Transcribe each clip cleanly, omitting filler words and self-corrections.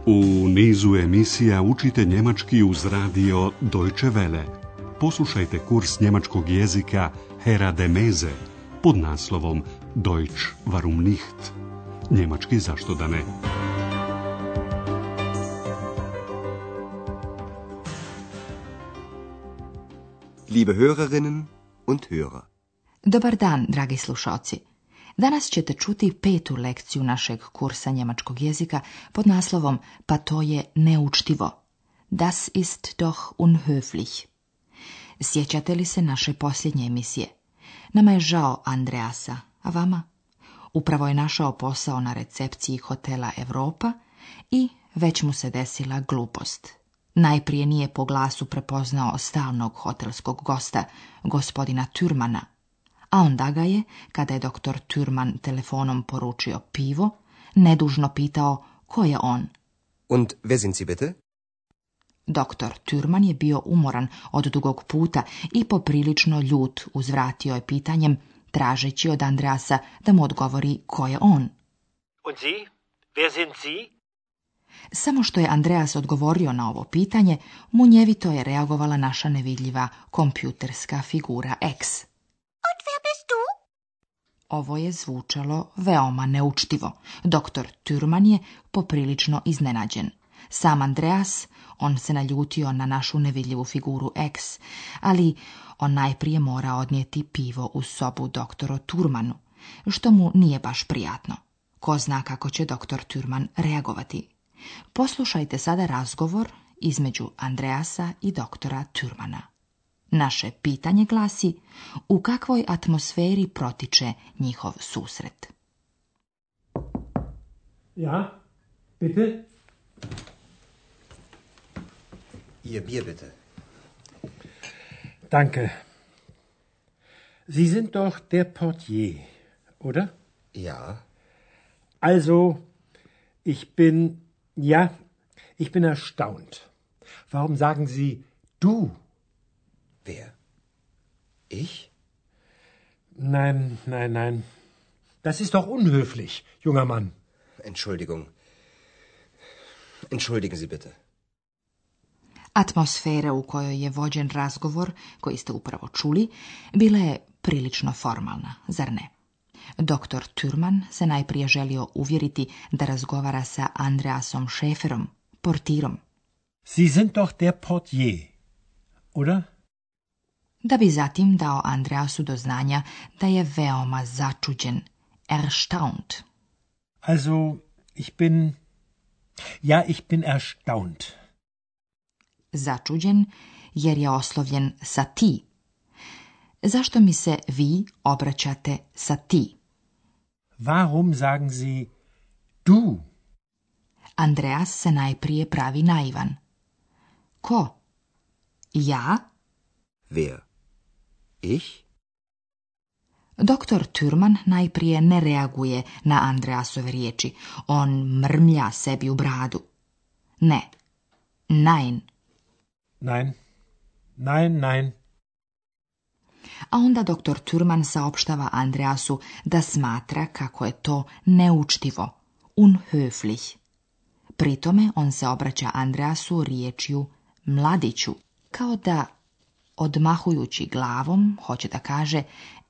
U nizu emisija učite njemački uz radio Deutsche Welle. Poslušajte kurs njemačkog jezika Hera de Meze pod naslovom Deutsch warum nicht? Njemački zašto da ne? Liebe Hörerinnen und Hörer. Dobar dan, dragi slušalci. Danas ćete čuti 5. lekciju našeg kursa njemačkog jezika pod naslovom Pa to je neučtivo. Das ist doch unhöflich. Sjećate li se naše posljednje emisije? Nama je žao Andreasa, a vama? Upravo je našao posao na recepciji hotela Europa i već mu se desila glupost. Najprije nije po glasu prepoznao stalnog hotelskog gosta, gospodina Türmana, a onda ga je, kada je doktor Türman telefonom poručio pivo, nedužno pitao ko je on. Und wer sind Sie bitte? Doktor Türman je bio umoran od dugog puta i poprilično ljut uzvratio je pitanjem, tražeći od Andreasa da mu odgovori ko je on. Und Sie? Wer sind Sie? Samo što je Andreas odgovorio na ovo pitanje, munjevito je reagovala naša nevidljiva kompjuterska figura X. Und wer bist du? Ovo je zvučalo veoma neučtivo. Doktor Türman je poprilično iznenađen. Sam Andreas, on se naljutio na našu nevidljivu figuru X, ali on najprije mora odnijeti pivo u sobu doktoru Türmanu, što mu nije baš prijatno. Ko zna kako će doktor Türman reagovati. Poslušajte sada razgovor između Andreasa i doktora Türmana. Naše pitanje glasi: u kakvoj atmosferi protiče njihov susret? Ja, bitte? Ihr Bier bitte. Danke. Sie sind doch der Portier, oder? Ja. Also, ich bin erstaunt. Warum sagen Sie du? Wer? Ich? Nein. Das ist doch unhöflich, junger Mann. Entschuldigung. Entschuldigen Sie bitte. Atmosfera u kojoj je vođen razgovor, koji ste upravo čuli, bila je prilično formalna, zar ne? Doktor Türman se najprije želio uvjeriti da razgovara sa Andreasom Schäferom, portirom. Sie sind doch der Portier, oder? Da bi zatim dao Andreasu do znanja da je veoma začuđen, erstaunt. Also, ich bin erstaunt. Začuđen jer je oslovljen sa ti. Zašto mi se vi obraćate sa ti? Warum sagen Sie du? Andreas se najprije pravi naivan. Ko? Ja? Wer? Ich? Doktor Türman najprije ne reaguje na Andreasove riječi. On mrmlja sebi u bradu. Ne. Nein. Nein. A onda doktor Türman saopštava Andreasu da smatra kako je to neučtivo, unhöflich. Pritome on se obraća Andreasu riječju mladiću, kao da, odmahujući glavom, hoće da kaže,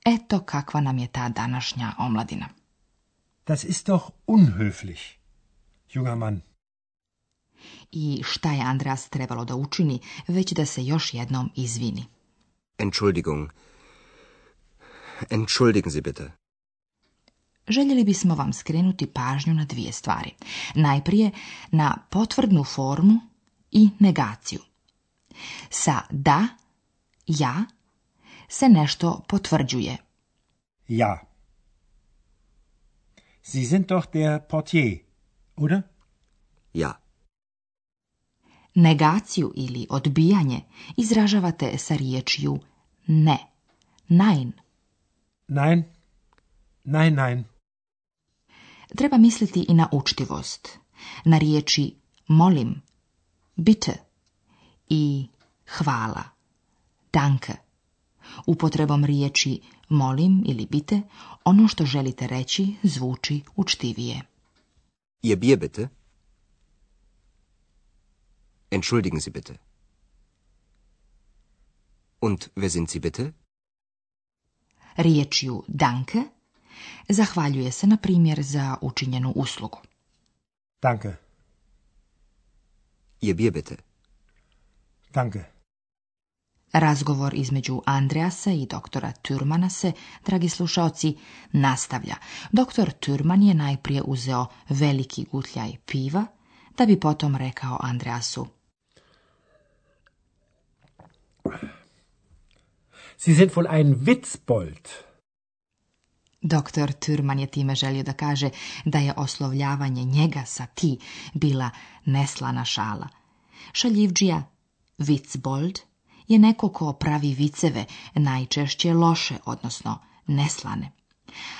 eto kakva nam je ta današnja omladina. Das ist doch unhöflich, junger Mann. I šta je Andreas trebalo da učini, već da se još jednom izvini. Entschuldigung. Entschuldigen Sie bitte. Željeli bismo vam skrenuti pažnju na 2 stvari. Najprije na potvrdnu formu i negaciju. Sa da, ja, se nešto potvrđuje. Ja. Sie sind doch der Portier, oder? Ja. Negaciju ili odbijanje izražavate sa riječju ne. Nein. Nein. Treba misliti i na učtivost. Na riječi molim, bitte i hvala, danke. Upotrebom riječi molim ili bitte, ono što želite reći zvuči učtivije. Ihr Bier bitte? Entschuldigen Sie bitte. Und wer sind Sie bitte? Riječju danke zahvaljuje se, na primjer, za učinjenu uslugu. Danke. Ihr Bier bitte. Danke. Razgovor između Andreasa i doktora Thürmana se, dragi slušaoci, nastavlja. Doktor Thürman je najprije uzeo veliki gutljaj piva, da bi potom rekao Andreasu: Sie sind wohl ein Witzbold. Doktor Thürman je time želio da kaže da je oslovljavanje njega sa ti bila neslana šala. Šaljivdžija, Witzbold, je neko ko pravi viceve, najčešće loše, odnosno neslane.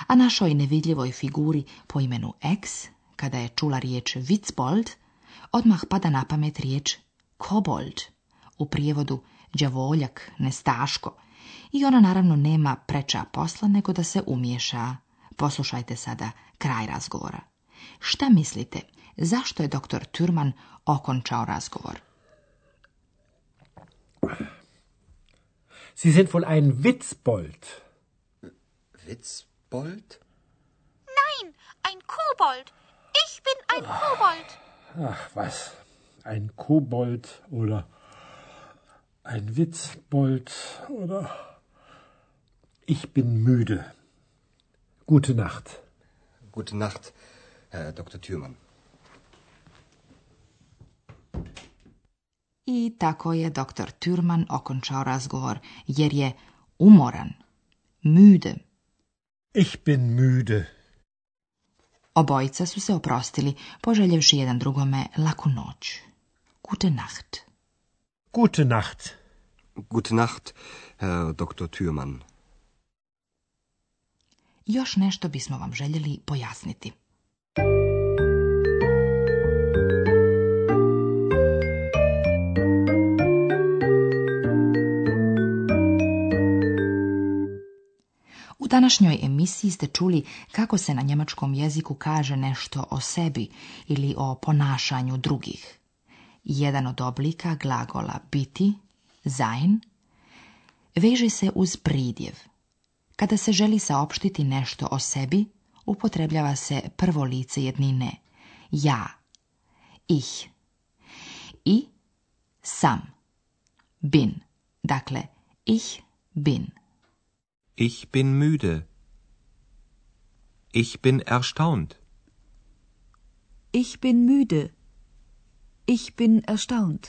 A našoj nevidljivoj figuri po imenu X, kada je čula riječ Witzbold, odmah pada na pamet riječ kobold, u prijevodu đavoljak, nestaško, i ona naravno nema preča posla nego da se umiješa. Poslušajte sada kraj razgovora. Šta mislite, zašto je doktor Thürman okončao razgovor? Sie sind wohl ein Witzbold. Witzbold? Nein, ein Kobold. Ich bin ein Kobold. Ach, was? Ein Kobold oder ein Witzbold oder... Ich bin müde. Gute Nacht. Gute Nacht, Herr Dr. Thürmann. I tako je doktor Thürman okončao razgovor, jer je umoran, müde. Ich bin müde. Obojica su se oprostili, poželjevši jedan drugome laku noć. Gute Nacht. Gute Nacht. Gute Nacht, Herr Dr. Thürmann. Još nešto bismo vam željeli pojasniti. U današnjoj emisiji ste čuli kako se na njemačkom jeziku kaže nešto o sebi ili o ponašanju drugih. Jedan od oblika glagola biti, sein, veže se uz pridjev. Kada se želi saopštiti nešto o sebi, upotrebljava se prvo lice jednine, ja, ich. I sam, bin. Dakle, ich bin. Ich bin müde. Ich bin erstaunt. Ich bin müde. Ich bin erstaunt.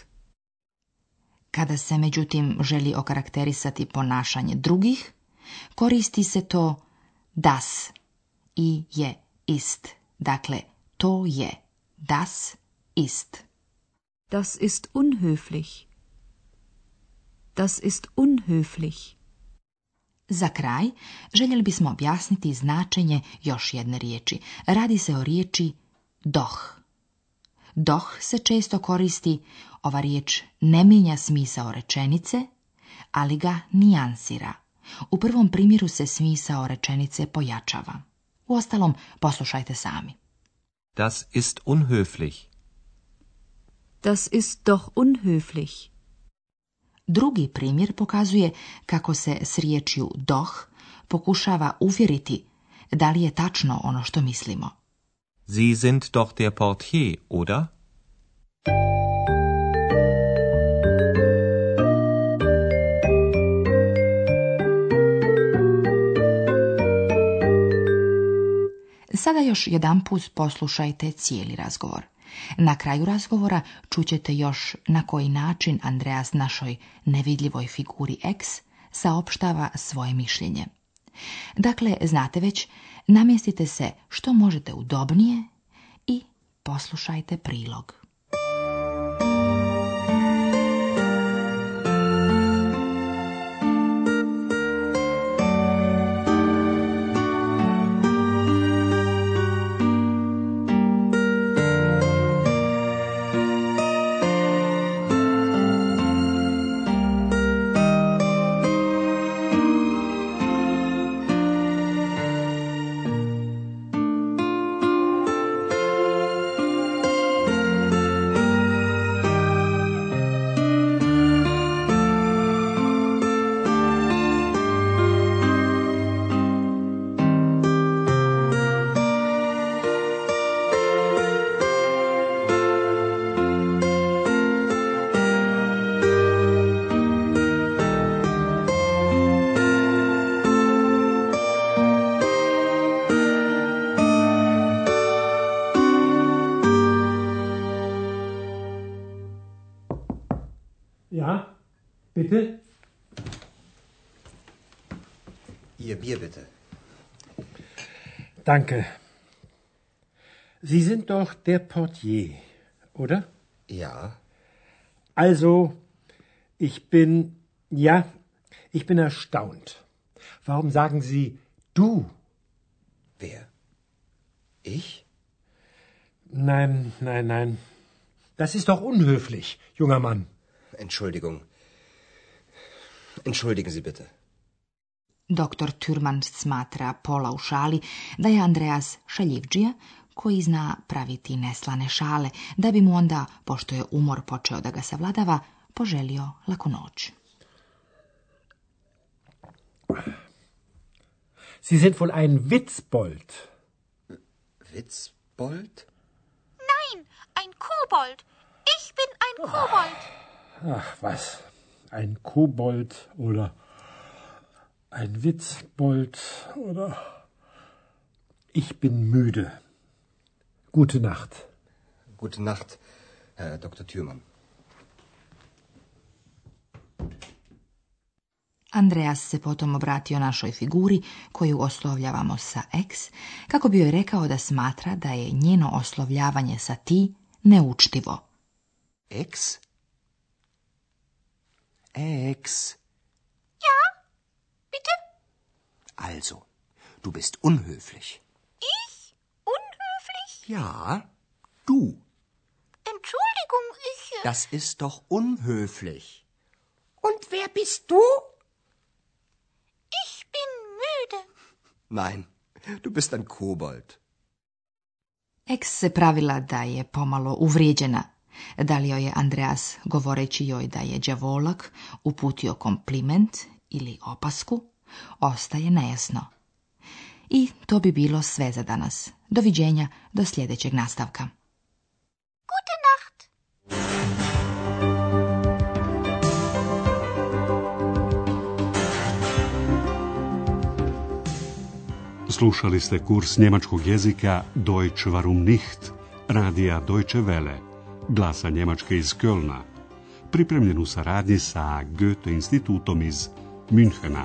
Kada se, međutim, želi okarakterisati ponašanje drugih, koristi se to das i je ist. Dakle, to je das ist. Das ist unhöflich. Das ist unhöflich. Za kraj željeli bismo objasniti značenje još jedne riječi. Radi se o riječi doch. Doch se često koristi, ova riječ ne mijenja smisao rečenice, ali ga nijansira. U prvom primjeru se smisao rečenice pojačava. Uostalom, poslušajte sami. Das ist unhöflich. Das ist doch unhöflich. Drugi primjer pokazuje kako se s riječju doch pokušava uvjeriti da li je tačno ono što mislimo. Sie sind doch der Portier, oder? Sada još jedanput poslušajte cijeli razgovor. Na kraju razgovora čućete još na koji način Andreas našoj nevidljivoj figuri X saopštava svoje mišljenje. Dakle, znate već, namjestite se što možete udobnije i poslušajte prilog. Bitte? Ihr Bier bitte. Danke. Sie sind doch der Portier, oder? Ja. Also, ich bin erstaunt. Warum sagen Sie du? Wer? Ich? Nein. Das ist doch unhöflich, junger Mann. Entschuldigung. Entschuldigen Sie bitte. Doktor Thürmann smatra pola u šali da je Andreas šaljivdžija koji zna praviti neslane šale, da bi mu onda, pošto je umor počeo da ga savladava, poželio laku noć. Sie sind wohl ein Witzbold. Witzbold? Nein, ein Kobold. Ich bin ein Kobold. Ach, was? Ein Kobold oder ein Witzbold oder... Ich bin müde. Gute Nacht. Gute Nacht, Herr Dr. Thürmann. Andreas se potom obratio našoj figuri, koju oslovljavamo sa ex, kako bi joj rekao da smatra da je njeno oslovljavanje sa ti neučtivo. Ex? Ex. Ja, bitte? Also, du bist unhöflich. Ich? Unhöflich? Ja, du. Entschuldigung, ich... Das ist doch unhöflich. Und wer bist du? Ich bin müde. Nein, du bist ein Kobold. Ex se pravila da je pomalo uvrijeđena. Da li joj je Andreas, govoreći joj da je đavolak, uputio kompliment ili opasku, ostaje nejasno. I to bi bilo sve za danas. Doviđenja do sljedećeg nastavka. Gute Nacht. Slušali ste kurs njemačkog jezika Deutsch warum nicht, radija Deutsche Welle, glasa Njemačke iz Kölna, pripremljen u saradnji sa Goethe institutom iz Münchena.